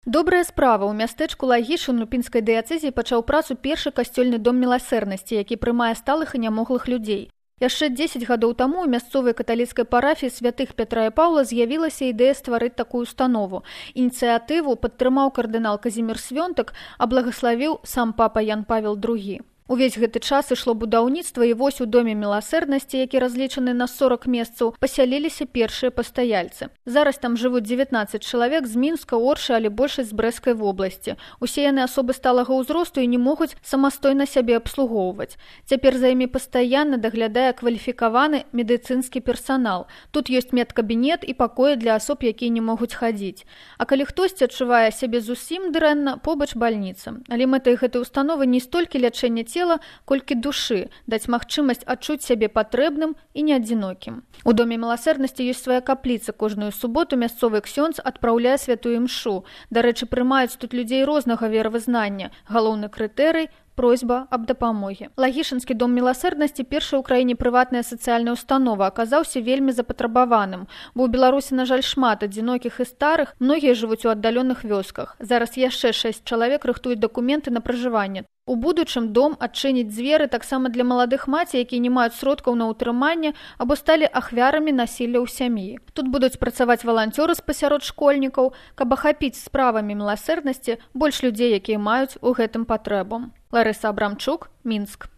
Добрая справа. У мястэчку Лагішын Лупінскай дыяцэзіі пачаў працу першы касцёльны дом міласэрнасці, які прымае сталых і нямоглых людзей. Яшчэ 10 гадоў таму ў мясцовай каталіцкай парафіі святых Пятра і Паўла з'явілася ідэя стварыць такую установу. Ініцыятыву падтрымаў кардынал Казімір Свёнтак, а благаславіў сам папа Ян Павел II. Увесь гэты час ішло будаўніцтва, і вось у доме міласэрнасці, які разлічаны на 40 месцаў, пасяліліся першыя пастаяльцы. Зараз там жывуць 19 чалавек з Мінска, Оршы, але большасць з Брэсцкай вобласці. Усе яны асобы сталага ўзросту і не могуць самастойна сябе абслугоўваць. Цяпер за імі пастаянна даглядае кваліфікаваны медыцынскі персанал. Тут ёсць медкабінет і пакоі для асоб, якія не могуць хадзіць. А калі хтосьці адчувае сябе зусім дрэнна, побач бальніца. Але мэтай гэтай установы не столькі лячэння цела, колькі душы, даць магчымасць адчуць сябе патрэбным і неадзінокім. У доме міласэрнасці ёсць свая капліца. Кожную суботу мясцовы ксёндз адпраўляе святую імшу. Дарэчы, прымаюць тут людзей рознага веравызнання. Галоўны крытэрый – просьба аб дапамогі. Лагішынскі дом міласэрнасці, першая ў краіне прыватная сацыяльная установа, аказаўся вельмі запатрабаваным, бо ў Беларусі, на жаль, шмат адзінокіх і старых, многія жывуць у аддаленых вёсках. Зараз яшчэ 6 чалавек рыхтуюць дакументы на пражыванне. У будучым дом адчыніць дзверы таксама для маладых маці, якія не маюць сродкаў на ўтрыманне або сталі ахвярамі насілля ў сям'і. Тут будуць працаваць валанцёры пасярод школьнікаў, каб ахапіць справамі міласэрнасці больш людзей, якія маюць у гэтым патрэбу. Ларыса Абрамчук, Мінск.